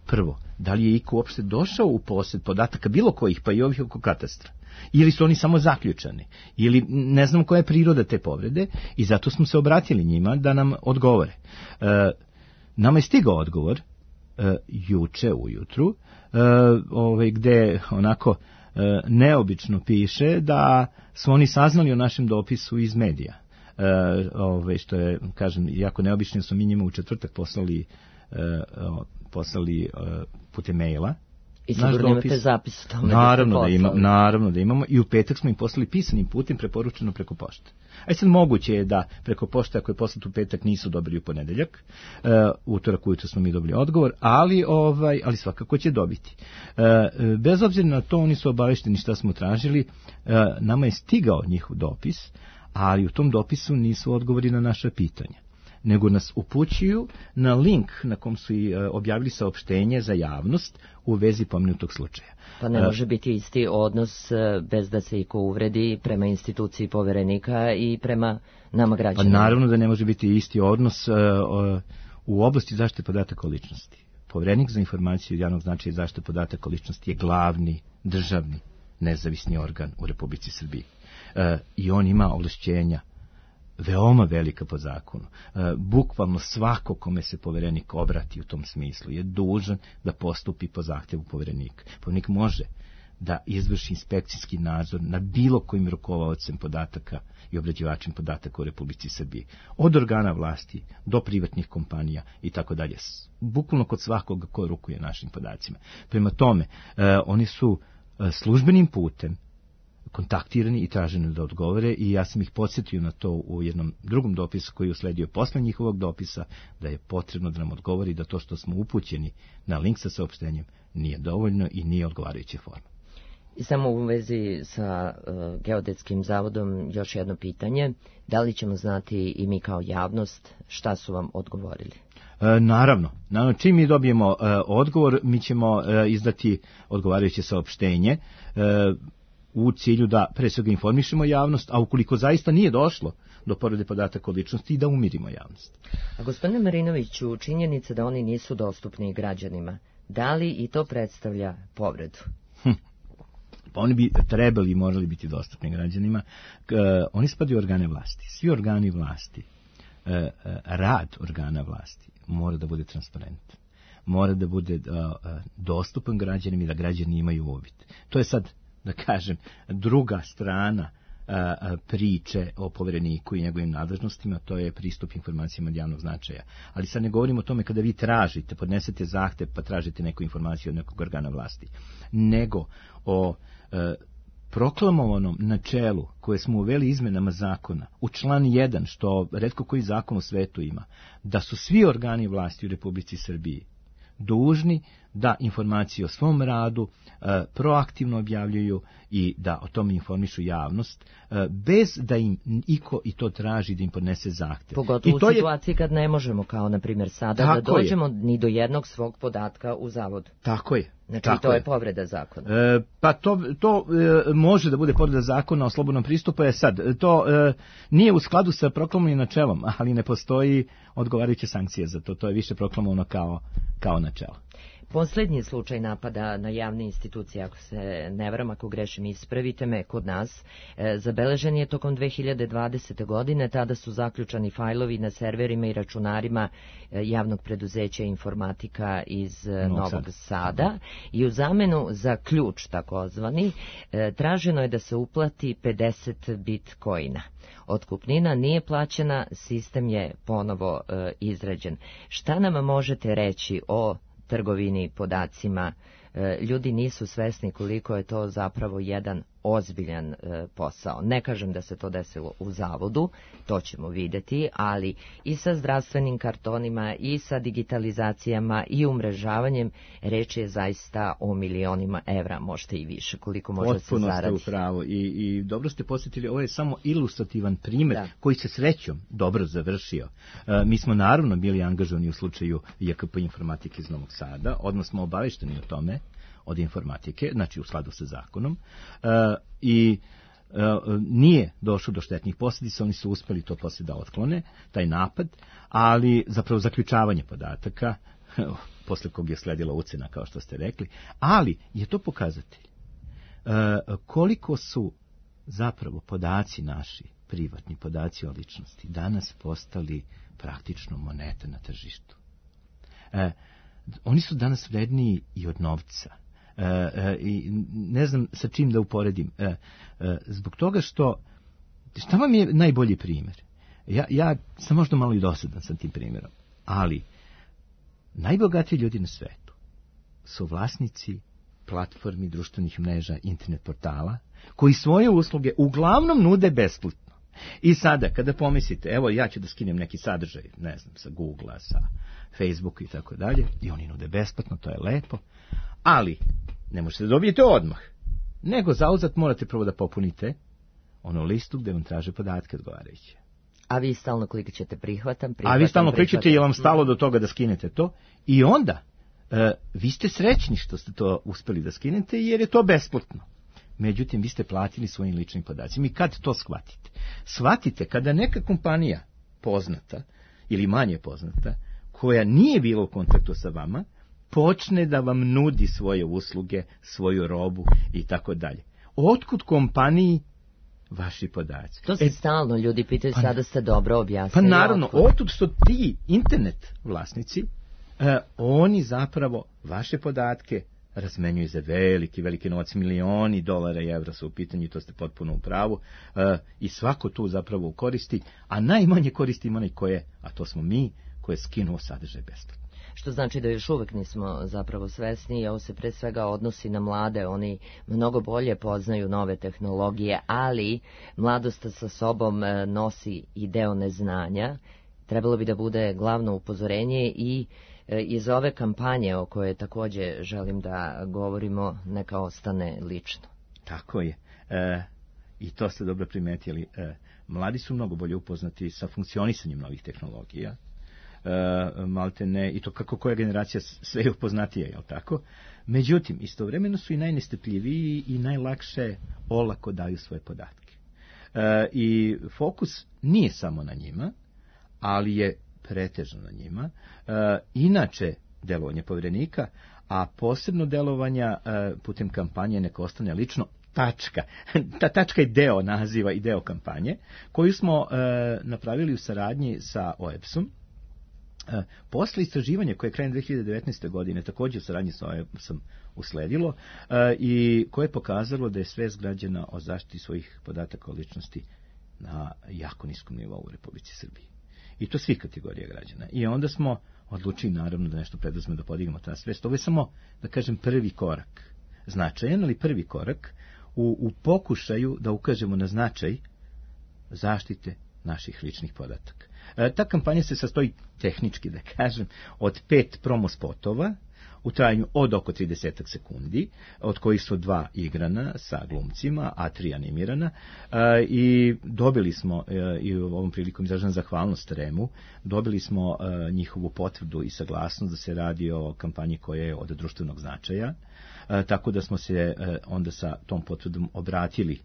prvo da li je iko uopšte došao u posjed podataka bilo kojih, pa i ovih oko katastra. Ili su oni samo zaključani, ili ne znamo koja je priroda te povrede i zato smo se obratili njima da nam odgovore. Nama je stigao odgovor juče ujutru, gde onako neobično piše da su oni saznali o našem dopisu iz medija. Što je, kažem, jako neobično, su mi njima u četvrtak poslali putem maila. I sigurno imate zapis o tome. Naravno da imamo, i u petak smo im poslali pisanim putem, preporučeno preko pošte. A sad moguće je da preko pošte, ako je poslat u petak, nisu dobili u ponedeljak, utorak ujutro smo mi dobili odgovor, ali svakako će dobiti. Bez obzira na to, oni su obavešteni šta smo tražili, nama je stigao njihov dopis, ali u tom dopisu nisu odgovori na naša pitanja, nego nas upućuju na link na kom su i objavili saopštenje za javnost u vezi pomenutog slučaja. Pa ne može biti isti odnos bez da se iko uvredi prema instituciji Poverenika i prema nama građanima. Pa naravno da ne može biti isti odnos u oblasti zaštite podataka o ličnosti. Poverenik za informaciju od javnog značaja i zaštite podataka o ličnosti je glavni državni nezavisni organ u Republici Srbiji. I on ima ovlašćenja veoma velika po zakonu. Bukvalno svako kome se Poverenik obrati u tom smislu je dužan da postupi po zahtjevu Poverenika. Poverenik može da izvrši inspekcijski nadzor nad bilo kojim rukovaocem podataka i obrađivačem podataka u Republici Srbiji. Od organa vlasti do privatnih kompanija i tako dalje. Bukvalno kod svakoga ko rukuje našim podacima. Prema tome, oni su službenim putem kontaktirani i traženi da odgovore i ja sam ih podsjetio na to u jednom drugom dopisu koji je usledio posle njihovog dopisa, da je potrebno da nam odgovori da to što smo upućeni na link sa saopštenjem nije dovoljno i nije odgovarajuće forma. I samo u vezi sa Geodetskim zavodom još jedno pitanje. Da li ćemo znati i mi kao javnost šta su vam odgovorili? Naravno, čim mi dobijemo odgovor, mi ćemo izdati odgovarajuće saopštenje u cilju da pre svega informišemo javnost, a ukoliko zaista nije došlo do povrede podataka o ličnosti, i da umirimo javnost. A gospodine Marinoviću, činjenica da oni nisu dostupni građanima, da li i to predstavlja povredu? Pa oni bi trebali i morali biti dostupni građanima. Oni spadaju u organe vlasti. Svi organi vlasti, rad organa vlasti mora da bude transparentan. Mora da bude dostupan građanima i da građani imaju uvid. To je sad, da kažem, druga strana priče o Povereniku i njegovim nadležnostima, to je pristup informacijama od javnog značaja. Ali sad ne govorimo o tome kada vi tražite, podnesete zahtev pa tražite neku informaciju od nekog organa vlasti, nego o proklamovanom načelu koje smo uveli izmenama zakona u član 1, što retko koji zakon u svetu ima, da su svi organi vlasti u Republici Srbiji dužni da informacije o svom radu proaktivno objavljuju i da o tome informišu javnost, bez da im iko i to traži da im podnese zahtev. Pogotovo u situaciji kad ne možemo, kao na primjer sada, da dođemo ni do jednog svog podatka u zavodu. Tako je. Znači to je povreda zakona. Pa to može da bude povreda zakona o slobodnom pristupu. Sad, to nije u skladu sa proklamovanim načelom, ali ne postoji odgovarajuće sankcije za to. To je više proklamovano kao načelo. Posljednji slučaj napada na javne institucije, ako se ne varam, ako grešim, ispravite me, kod nas, zabeležen je tokom 2020. godine. Tada su zaključani fajlovi na serverima i računarima javnog preduzeća informatika iz Novog Sada i u zamenu za ključ takozvani traženo je da se uplati 50 bitcoina. Otkupnina nije plaćena, sistem je ponovo izrađen. Šta nam možete reći o trgovini podacima? Ljudi nisu svesni koliko je to zapravo jedan ozbiljan posao. Ne kažem da se to desilo u zavodu, to ćemo vidjeti, ali i sa zdravstvenim kartonima i sa digitalizacijama i umrežavanjem reč je zaista o milionima evra, možete i više, koliko može se zaradi. Potpuno ste u pravu i dobro ste posjetili, ovo je samo ilustrativan primjer koji se srećom dobro završio. Mi smo naravno bili angažovani u slučaju JKP informatike iz Novog Sada, odmah smo obavešteni o tome od informatike, znači u skladu sa zakonom, i nije došlo do štetnih posljedica, oni su uspjeli to poslije da otklone, taj napad, ali zapravo zaključavanje podataka, posle kog je sledila ucena, kao što ste rekli, ali je to pokazatelj koliko su zapravo podaci naši, privatni podaci o ličnosti, danas postali praktično monete na tržištu. Oni su danas vredniji i od novca. I ne znam sa čim da uporedim. Zbog toga što, šta vam je najbolji primjer? Ja sam možda malo i dosadan sa tim primjerom, ali najbogatiji ljudi na svetu su vlasnici platformi, društvenih mreža, internet portala, koji svoje usluge uglavnom nude besplatno. I sada, kada pomislite, evo ja ću da skinem neki sadržaj, ne znam, sa Google-a, sa Facebooka i tako dalje, i oni nude besplatno, to je lepo, ali ne možete da dobijete odmah, nego zauzat morate prvo da popunite onu listu gde vam traže podatke odgovarajuće. A vi stalno klikćete prihvatam. A vi stalno klikćete jer vam stalo do toga da skinete to, i onda vi ste srećni što ste to uspeli da skinete jer je to besplatno. Međutim, vi ste platili svojim ličnim podacima. I kad to shvatite? Shvatite kada neka kompanija poznata ili manje poznata, koja nije bila u kontaktu sa vama, počne da vam nudi svoje usluge, svoju robu i tako dalje. Otkud kompaniji vaši podaci? To se stalno ljudi pitaju, sada ste dobro objasnili. Pa naravno, otud što ti internet vlasnici, oni zapravo vaše podatke razmenjuju za veliki novac, milioni dolara i evra su u pitanju, to ste potpuno u pravu, i svako tu zapravo koristi, a najmanje koristi onaj koje, a to smo mi, koje skinuo sadržaj besplatno. Što znači da još uvek nismo zapravo svesni i ovo se pre svega odnosi na mlade, oni mnogo bolje poznaju nove tehnologije, ali mladost sa sobom nosi i deo neznanja. Trebalo bi da bude glavno upozorenje i iz ove kampanje o kojoj također želim da govorimo, neka ostane lično. Tako je. I to ste dobro primetili. Mladi su mnogo bolje upoznati sa funkcionisanjem novih tehnologija. Malte ne, i to kako koja generacija sve je upoznatija, jel tako? Međutim, istovremeno su i najnestrpljiviji i najlakše olako daju svoje podatke. I fokus nije samo na njima, ali je pretežno na njima. Inače, delovanje povjerenika, a posebno delovanja putem kampanje neka ostane lično, tačka. Ta tačka je deo naziva i deo kampanje, koju smo napravili u saradnji sa OEBS-om. Posle istraživanja koje je krajem 2019. godine također u saradnji sa OEBS-om usledilo i koje je pokazalo da je svest građana o zaštiti svojih podataka o ličnosti na jako niskom nivou u Republici Srbiji. I to svih kategorija građana. I onda smo odlučili naravno da nešto preduzmemo, da podignemo ta svest. Ovo je samo, da kažem, prvi korak. Značajan, ali prvi korak u pokušaju da ukažemo na značaj zaštite naših ličnih podataka. Ta kampanja se sastoji tehnički, da kažem, od 5 promo spotova u trajanju od oko 30 sekundi, od kojih su 2 igrana sa glumcima, a 3 animirana, i dobili smo, i u ovom prilikom izražavam zahvalnost REM-u, dobili smo njihovu potvrdu i saglasnost da se radi o kampanji koja je od društvenog značaja, tako da smo se onda sa tom potvrdom obratili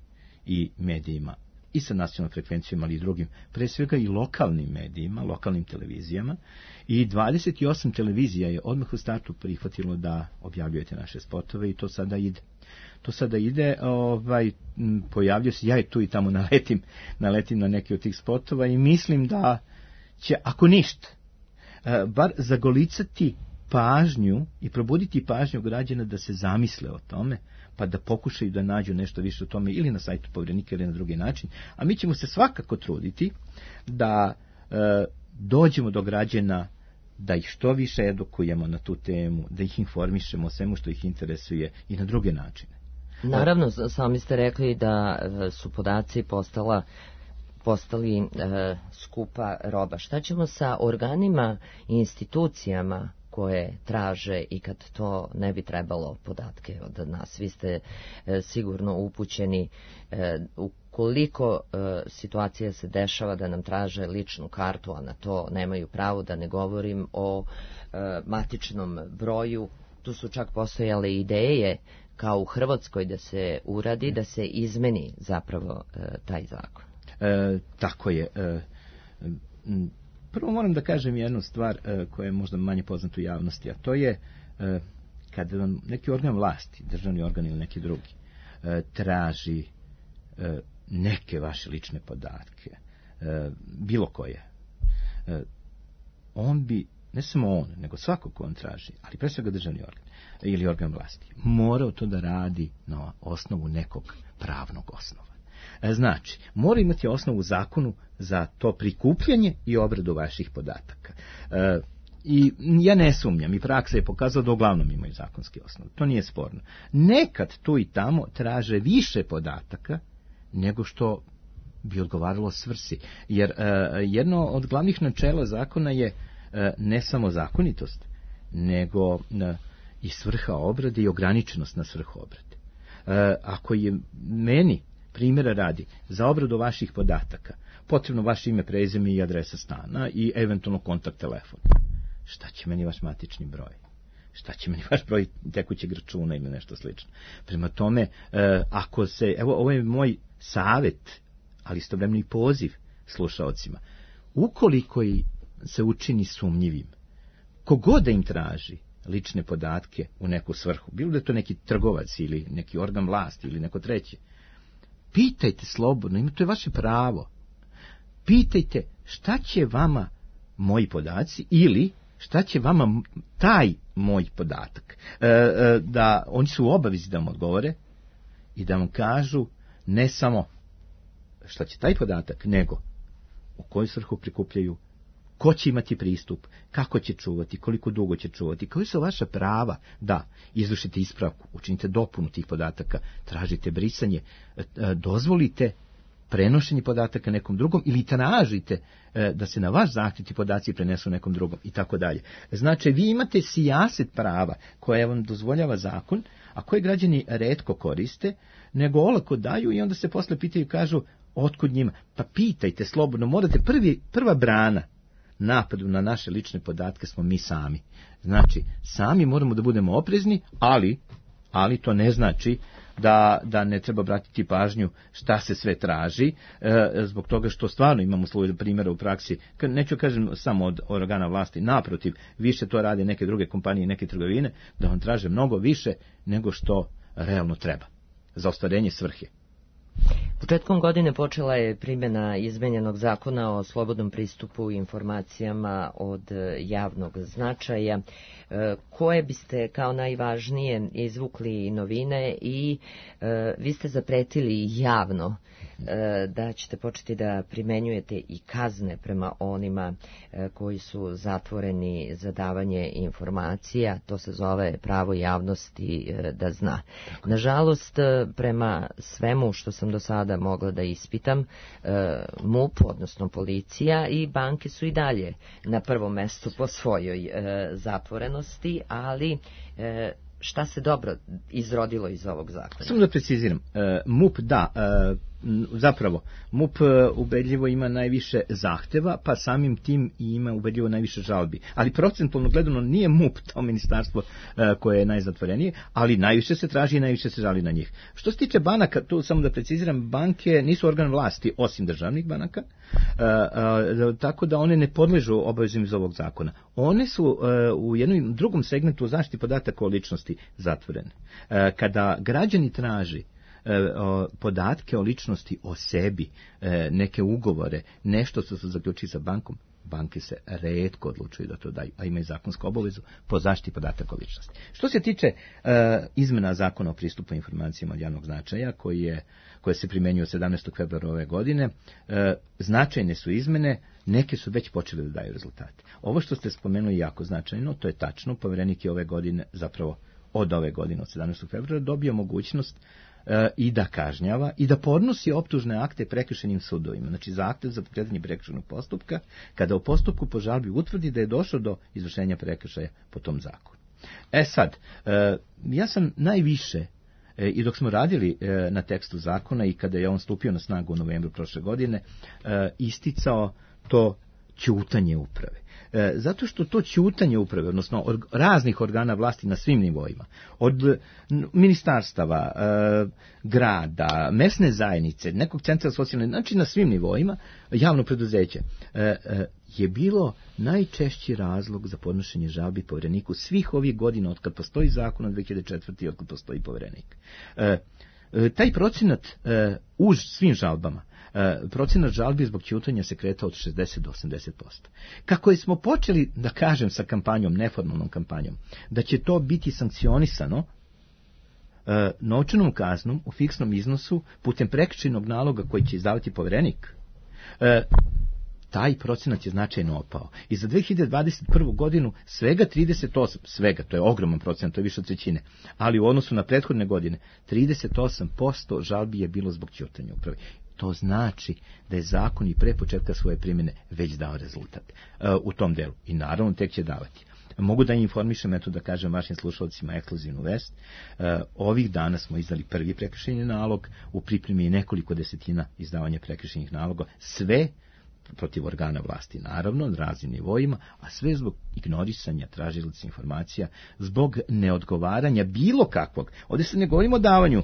i medijima, i sa nacionalnom frekvencijom, ali i drugim, pre svega i lokalnim medijima, lokalnim televizijama, i 28 televizija je odmah u startu prihvatilo da objavljujete naše spotove i to sada ide. To sada ide, pojavljuje se, ja tu i tamo naletim na neke od tih spotova i mislim da će, ako ništa, bar zagolicati pažnju i probuditi pažnju građana da se zamisle o tome, pa da pokušaju da nađu nešto više o tome ili na sajtu Poverenika ili na drugi način. A mi ćemo se svakako truditi da dođemo do građana, da ih što više edukujemo na tu temu, da ih informišemo o svemu što ih interesuje i na druge načine. Naravno, sami ste rekli da su podaci postali skupa roba. Šta ćemo sa organima i institucijama koje traže i kad to ne bi trebalo podatke od nas? Vi ste sigurno upućeni ukoliko situacija se dešava da nam traže ličnu kartu, a na to nemaju pravo, da ne govorim o matičnom broju. Tu su čak postojale ideje kao u Hrvatskoj da se uradi, da se izmeni zapravo taj zakon. Tako je. Prvo moram da kažem jednu stvar koja je možda manje poznata u javnosti, a to je kad vam neki organ vlasti, državni organ ili neki drugi, traži neke vaše lične podatke, bilo koje, on bi, ne samo on, nego svako ko on traži, ali pre svega državni organ ili organ vlasti, morao to da radi na osnovu nekog pravnog osnova. Znači, mora imati osnovu u zakonu za to prikupljanje i obradu vaših podataka. I ja ne sumnjam, i praksa je pokazala da uglavnom imaju zakonski osnov. To nije sporno. Nekad tu i tamo traže više podataka nego što bi odgovaralo svrsi. Jer jedno od glavnih načela zakona je ne samo zakonitost, nego i svrha obrade i ograničenost na svrhu obrade. Ako je meni, primjera radi, za obradu vaših podataka potrebno vaše ime, prezime i adresa stana i eventualno kontakt telefon, šta će meni vaš matični broj? Šta će meni vaš broj tekućeg računa ili nešto slično? Prema tome, ako se, evo, ovo je moj savjet, ali istovremeno i poziv slušaocima, ukoliko se učini sumnjivim, kogod da im traži lične podatke u neku svrhu, bilo da je to neki trgovac ili neki organ vlasti ili neko treće, pitajte slobodno, to je vaše pravo. Pitajte šta će vama moji podaci ili šta će vama taj moj podatak. Da oni su u obavezi da vam odgovore i da vam kažu ne samo šta će taj podatak, nego u koju svrhu prikupljaju, ko će imati pristup, kako će čuvati, koliko dugo će čuvati, koji su vaša prava da izvršite ispravku, učinite dopunu tih podataka, tražite brisanje, dozvolite prenošenje podataka nekom drugom ili tražite da se na vaš zahtjev ti podaci prenesu nekom drugom i tako dalje. Znači, vi imate sijaset prava koje vam dozvoljava zakon, a koje građani retko koriste, nego olako daju i onda se posle pitaju i kažu otkud njima. Pa pitajte slobodno, morate prva brana napadu na naše lične podatke smo mi sami. Znači, sami moramo da budemo oprezni, ali to ne znači da ne treba obratiti pažnju šta se sve traži, zbog toga što stvarno imamo slučaj primjera u praksi, neću kažem samo od organa vlasti, naprotiv, više to rade neke druge kompanije i neke trgovine, da vam traže mnogo više nego što realno treba za ostvarenje svrhe. Početkom godine počela je primjena izmenjenog zakona o slobodnom pristupu informacijama od javnog značaja. Koje biste kao najvažnije izvukli novine i vi ste zapretili javno da ćete početi da primenjujete i kazne prema onima koji su zatvoreni za davanje informacija. To se zove pravo javnosti da zna. Nažalost, prema svemu što sam do sada mogla da ispitam, MUP, odnosno policija i banke su i dalje na prvom mestu po svojoj zatvorenosti, ali šta se dobro izrodilo iz ovog zakona? Samo da preciziram, MUP zapravo MUP ubedljivo ima najviše zahteva, pa samim tim i ima ubedljivo najviše žalbi. Ali procentualno gledano nije MUP to ministarstvo koje je najzatvorenije, ali najviše se traži i najviše se žali na njih. Što se tiče banaka, tu samo da preciziram, banke nisu organ vlasti osim državnih banaka, tako da one ne podležu obavezima iz ovog zakona. One su u jednom drugom segmentu o zaštiti podataka o ličnosti zatvorene. Kada građani traži podatke o ličnosti, o sebi, neke ugovore, nešto što su zaključili sa bankom, banke se retko odlučuju da to daju, a imaju zakonsku obavezu po zaštiti podataka o ličnosti. Što se tiče izmena zakona o pristupu informacijama od javnog značaja, koje se primenjuju od 17. februara ove godine, značajne su izmene, neke su već počele da daju rezultate. Ovo što ste spomenuli je jako značajno, to je tačno, Poverenik je ove godine, zapravo od ove godine, od 17. februara, dobio mogućnost i da kažnjava i da podnosi optužne akte prekršajnim sudovima. Znači zahtev za pokretanje prekršajnog postupka kada u postupku po žalbi utvrdi da je došlo do izvršenja prekršaja po tom zakonu. Sad, ja sam najviše i dok smo radili na tekstu zakona i kada je on stupio na snagu u novembru prošle godine, isticao to ćutanje uprave. Zato što to ćutanje uprave, odnosno raznih organa vlasti na svim nivoima, od ministarstava, grada, mesne zajednice, nekog centra socijalne, znači na svim nivoima, javno preduzeće, je bilo najčešći razlog za podnošenje žalbi Povereniku svih ovih godina od kad postoji zakon od 2004. i od kad postoji Poverenik. Taj procenat u svim žalbama, procenat žalbi zbog ćutanja se kretao od 60 do 80%. Kako smo počeli, da kažem, sa kampanjom, neformalnom kampanjom, da će to biti sankcionisano novčanom kaznom u fiksnom iznosu putem prekršajnog naloga koji će izdavati Poverenik, taj procenat je značajno opao. I za 2021. godinu svega 38, to je ogroman procenat, to je više od trećine, ali u odnosu na prethodne godine 38% žalbi je bilo zbog ćutanja uprave. To znači da je zakon i pre početka svoje primjene već dao rezultat u tom delu. I naravno tek će davati. Mogu da informišem, eto da kažem vašim slušalcima ekskluzivnu vest. Ovih dana smo izdali prvi prekršajni nalog, u pripremi je nekoliko desetina izdavanja prekršajnih naloga, sve protiv organa vlasti, naravno, na raznim nivoima, a sve zbog ignorisanja tražilaca informacija, zbog neodgovaranja bilo kakvog. Ovdje se ne govorimo o davanju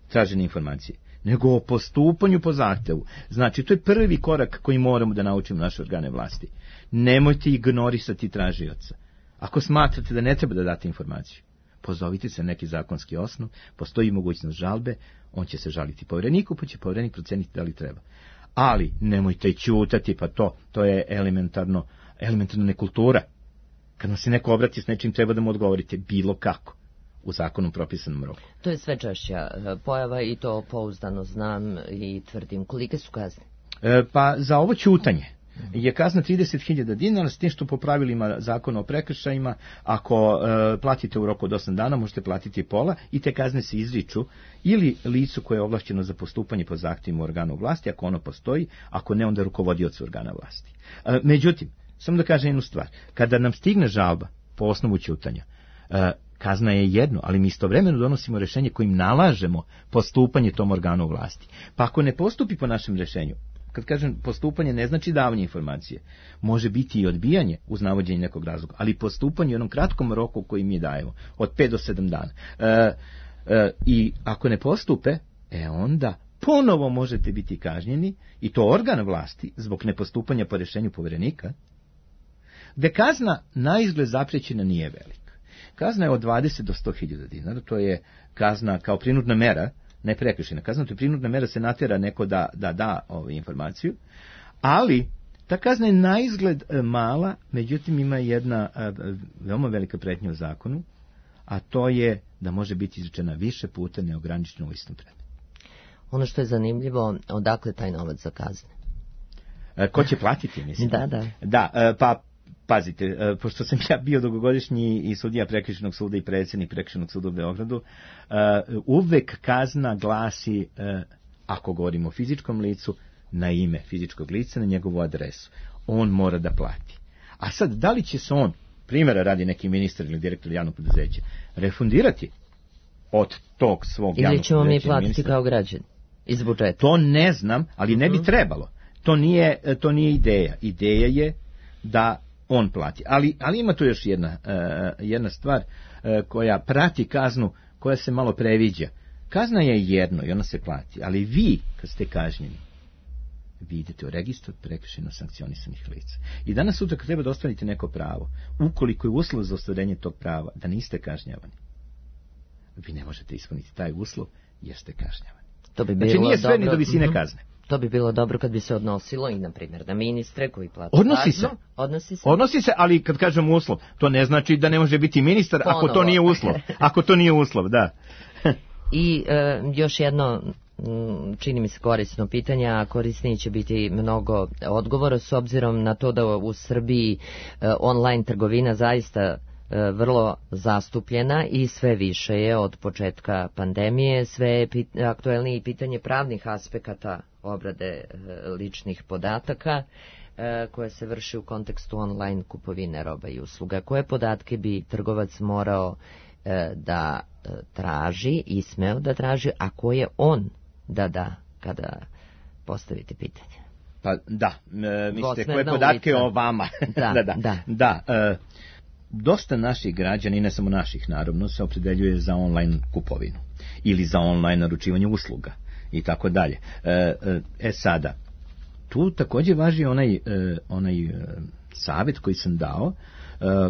tražene informacije, nego o postupanju po zahtevu. Znači, to je prvi korak koji moramo da naučimo naše organe vlasti. Nemojte ignorisati tražioca. Ako smatrate da ne treba da date informaciju, pozovite se na neki zakonski osnov, postoji mogućnost žalbe, on će se žaliti Povereniku, pa će Poverenik proceniti da li treba. Ali nemojte ćutati, pa to je elementarna nekultura. Kad nam se neko obrati s nečim, treba da mu odgovorite bilo kako, u zakonom propisanom roku. To je sve češća pojava i to pouzdano znam i tvrdim. Kolike su kazne? Pa za ovo ćutanje je kazna 30.000 dinara, s tim što po pravilima zakona o prekršajima, ako platite u roku od 8 dana, možete platiti pola i te kazne se izriču ili licu koje je ovlašćeno za postupanje po zahtjevima organu vlasti, ako ono postoji, ako ne, onda rukovodiocu organa vlasti. Međutim, samo da kažem jednu stvar, kada nam stigne žalba po osnovu ćutanja, kazna je jedno, ali mi istovremeno donosimo rješenje kojim nalažemo postupanje tom organu vlasti. Pa ako ne postupi po našem rješenju, kad kažem postupanje ne znači davanje informacije, može biti i odbijanje uz navođenje nekog razloga, ali postupanje u jednom kratkom roku koji mi dajemo, od 5 do 7 dana. I ako ne postupe, onda ponovo možete biti kažnjeni, i to organ vlasti, zbog nepostupanja po rješenju Poverenika, gde kazna na izgled zapriječena nije velika. Kazna je od 20 do 100.000 dinara, to je kazna kao prinudna mera, ne prekršajna kazna, to je prinudna mera, se natjera neko da ovu informaciju, ali ta kazna je na izgled mala, međutim ima jedna veoma velika pretnja u zakonu, a to je da može biti izrečena više puta neograničeno u istom predmetu. Ono što je zanimljivo, odakle taj novac za kazne? Ko će platiti, mislim? Da. Pa pazite, pošto sam ja bio dugogodišnji i sudija prekršajnog suda i predsjednik prekršajnog suda u Beogradu, uvek kazna glasi, ako govorimo o fizičkom licu, na ime fizičkog lica, na njegovu adresu. On mora da plati. A sad, da li će se on, primjera radi neki ministar ili direktor javnog preduzeća, refundirati od tog svog javnog preduzeća? Ili ćemo mi platiti kao građani iz budžeta? To ne znam, ali ne bi trebalo. To nije ideja. Ideja je da on plati. Ali ima tu još jedna stvar koja prati kaznu, koja se malo previđa. Kazna je jedno i ona se plati, ali vi, kad ste kažnjeni, vi idete u registar prekršajno sankcionisanih lica. I danas sutra kad treba da ostvarite neko pravo, ukoliko je uslov za ostvarenje tog prava da niste kažnjavani, vi ne možete ispuniti taj uslov jer ste kažnjavani. Znači nije sve ni do visine kazne. To bi bilo dobro kad bi se odnosilo i, na primjer, na ministre koji plaćaju kaznu. Odnosi se, ali kad kažem uslov, to ne znači da ne može biti ministar ako to nije uslov. Ako to nije uslov, da. I još jedno, čini mi se korisno pitanje, a korisniji će biti mnogo odgovora, s obzirom na to da u Srbiji online trgovina zaista vrlo zastupljena i sve više je od početka pandemije, sve je aktuelnije pitanje pravnih aspekata obrade ličnih podataka koje se vrši u kontekstu online kupovine roba i usluga. Koje podatke bi trgovac morao da traži i smeo da traži, a koje on da kada postavite pitanje? Pa da, mislite koje podatke o vama? Da. Dosta naših građana, i ne samo naših naravno, se opredeljuje za online kupovinu ili za online naručivanje usluga i tako dalje. Sada, tu također važi onaj savjet koji sam dao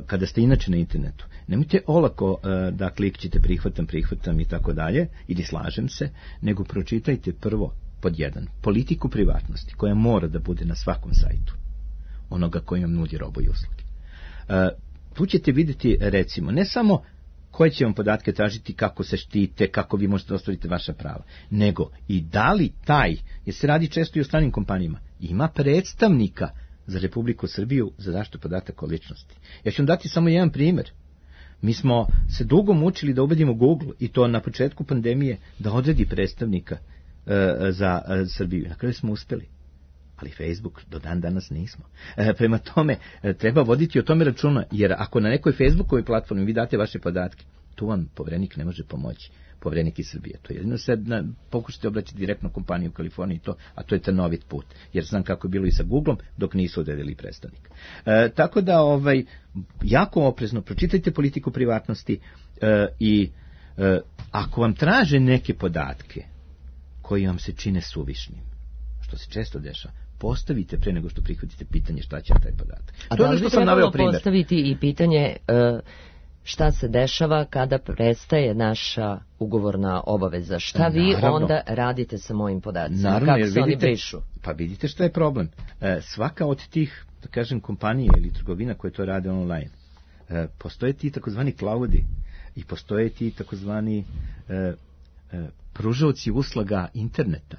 kada ste inače na internetu. Nemojte olako da klikćete prihvatam i tako dalje, ili slažem se, nego pročitajte prvo pod jedan politiku privatnosti koja mora da bude na svakom sajtu onoga koji vam nudi robu i usluge. Tu ćete vidjeti, recimo, ne samo koje će vam podatke tražiti, kako se štite, kako vi možete ostvariti vaša prava, nego i da li taj, jer se radi često i o stranim kompanijama, ima predstavnika za Republiku Srbiju za zaštitu podataka o ličnosti. Ja ću vam dati samo jedan primjer. Mi smo se dugo mučili da ubedimo Google, i to na početku pandemije, da odredi predstavnika za Srbiju. Na kraju smo uspeli. Ali Facebook do dan danas nismo. Prema tome, treba voditi o tome računa, jer ako na nekoj Facebookovoj platformi vi date vaše podatke, tu vam Poverenik ne može pomoći. Poverenik iz Srbije. To je jedino sad pokušajte obraćati direktno kompaniju u Kaliforniji, a to je trnovit put. Jer znam kako je bilo i sa Googlom dok nisu odredili predstavnika. Tako da, jako oprezno pročitajte politiku privatnosti i ako vam traže neke podatke koji vam se čine suvišnim, što se često dešava, postavite pre nego što prihvatite pitanje šta će taj podatak. A da li bi trebalo postaviti i pitanje šta se dešava kada prestaje naša ugovorna obaveza? Šta vi onda radite sa mojim podacima? Kako se oni brišu? Pa vidite šta je problem. Svaka od tih, da kažem, kompanije ili trgovina koje to rade online, postoje ti takozvani cloudi i postoje ti takozvani pružaoci usluga interneta.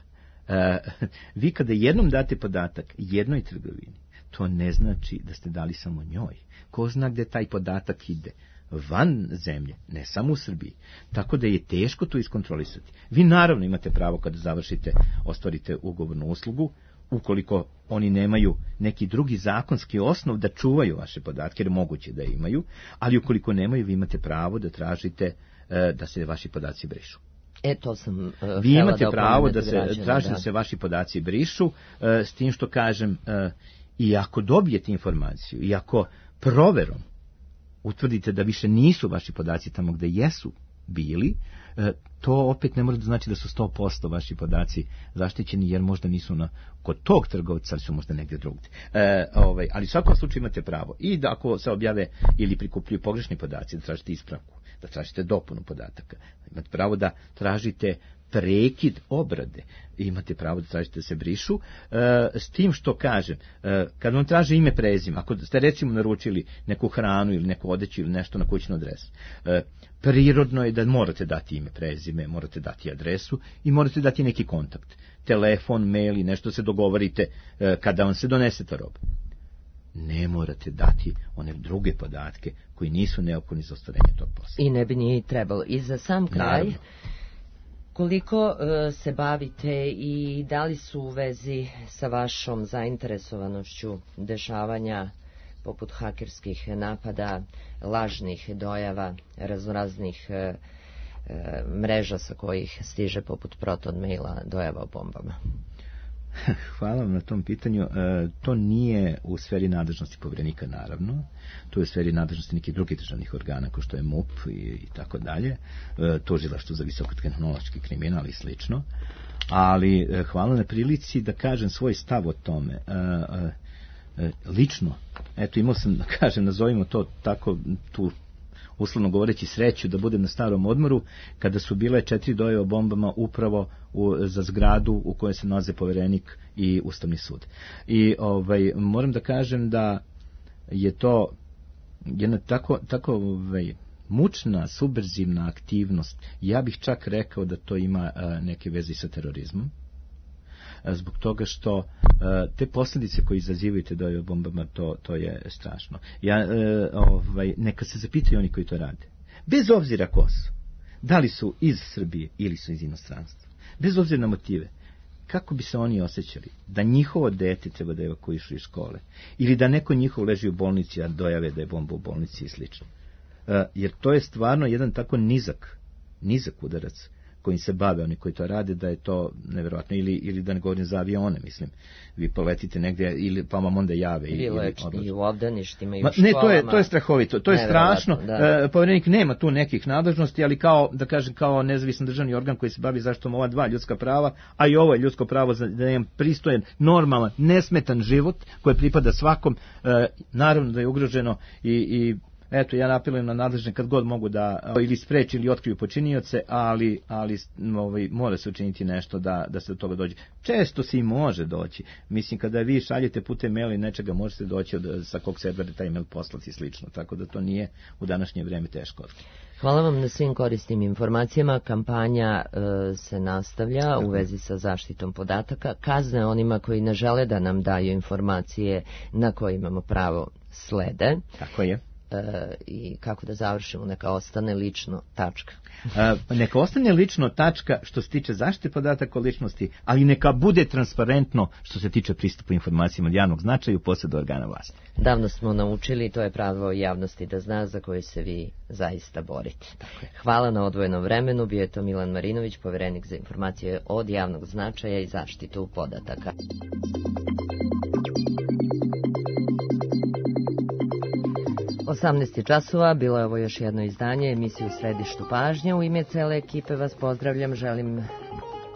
Vi kada jednom date podatak jednoj trgovini, to ne znači da ste dali samo njoj. Ko zna gde taj podatak ide? Van zemlje, ne samo u Srbiji. Tako da je teško to iskontrolisati. Vi naravno imate pravo kada završite, ostvarite ugovornu uslugu, ukoliko oni nemaju neki drugi zakonski osnov da čuvaju vaše podatke, jer moguće da imaju, ali ukoliko nemaju, vi imate pravo da tražite da se vaši podaci brišu. To sam vi imate pravo da se traži da se vaši podaci brišu, s tim što kažem, i ako dobijete informaciju, i ako proverom utvrdite da više nisu vaši podaci tamo gde jesu bili, to opet ne može da znači da su 100% vaši podaci zaštićeni, jer možda nisu kod tog trgovca, ali su možda negdje drugdje. Ali u svakom slučaju imate pravo. I da ako se objave ili prikupljuju pogrešni podaci, da tražite ispravku, da tražite dopunu podataka. Imate pravo da tražite prekid obrade. Imate pravo da tražite da se brišu. S tim što kažem, kad vam traže ime, prezime, ako ste recimo naručili neku hranu ili neku odeću ili nešto na kućnu adresu, prirodno je da morate dati ime, prezime, morate dati adresu i morate dati neki kontakt. Telefon, mail i nešto se dogovorite kada vam se donese ta roba. Ne morate dati one druge podatke koji nisu neophodni za ostvarenje tog posla. I ne bi ni trebalo. I za sam kraj, naravno, koliko se bavite i da li su u vezi sa vašom zainteresovanošću dešavanja poput hakerskih napada, lažnih dojava, raznoraznih mreža sa kojih stiže poput Proton maila dojava o bombama? Hvala vam na tom pitanju. To nije u sferi nadležnosti Poverenika, naravno. To je u sferi nadležnosti nekih drugih državnih organa, kao što je MUP i tako dalje. Tužilaštvo za visokotehnološki kriminal i slično. Ali hvala na prilici da kažem svoj stav o tome. Lično, imao sam, da kažem, nazovimo to tako, tu uslovno govoreći sreću da budem na starom odmoru, kada su bile 4 dojave o bombama upravo za zgradu u kojoj se nalaze Poverenik i Ustavni sud. I moram da kažem da je to jedna tako mučna, subverzivna aktivnost. Ja bih čak rekao da to ima neke veze sa terorizmom. zbog toga što te posljedice koje izazivaju te dojave bombama, to je strašno. Neka se zapitaju oni koji to rade. Bez obzira ko su, da li su iz Srbije ili su iz inostranstva, bez obzira na motive, kako bi se oni osjećali da njihovo dete treba da evakuišu iz škole ili da neko njihov leži u bolnici, a dojave da je bomba u bolnici i slično. Jer to je stvarno jedan tako nizak udarac kojim se bave oni koji to rade, da je to nevjerojatno. Ili da ne govorim za avione, mislim. Vi poletite negdje, pa vam onda jave. I u obdaništima, i u školama. Ne, to je strahovito, to je strašno. Povjerenik nema tu nekih nadležnosti, ali kao nezavisan državni organ koji se bavi zaštitom ova dva ljudska prava, a i ovo je ljudsko pravo da imam pristojan, normalan, nesmetan život koji pripada svakom, naravno da je ugroženo i eto, ja apelujem na nadležne kad god mogu da ili spreči ili otkriju počinioce, ali mora se učiniti nešto da se do toga dođe. Često se i može doći. Mislim, kada vi šaljete putem maila i nečega, možete doći sa kog servera taj mail poslati i slično, tako da to nije u današnje vrijeme teško. Hvala vam na svim korisnim informacijama. Kampanja se nastavlja u vezi sa zaštitom podataka. Kazne onima koji ne žele da nam daju informacije na koje imamo pravo slede. Tako je. I kako da završimo, neka ostane lično tačka. Neka ostane lično tačka što se tiče zaštite podataka o ličnosti, ali neka bude transparentno što se tiče pristupu informacijama od javnog značaja u posjedu organa vlasti. Davno smo naučili, to je pravo javnosti da zna, za koje se vi zaista borite. Hvala na odvojenom vremenu. Bio je to Milan Marinović, povjerenik za informacije od javnog značaja i zaštitu podataka. 18 časova, bilo je ovo još jedno izdanje emisije U središtu pažnje. U ime cele ekipe vas pozdravljam, želim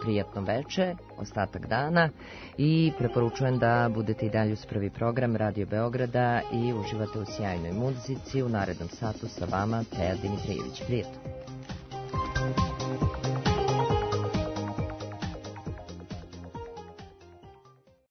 prijatno veče, ostatak dana i preporučujem da budete i dalje uz prvi program Radio Beograda i uživate u sjajnoj muzici. U narednom satu sa vama Teja Dimitrijević. Prijatno.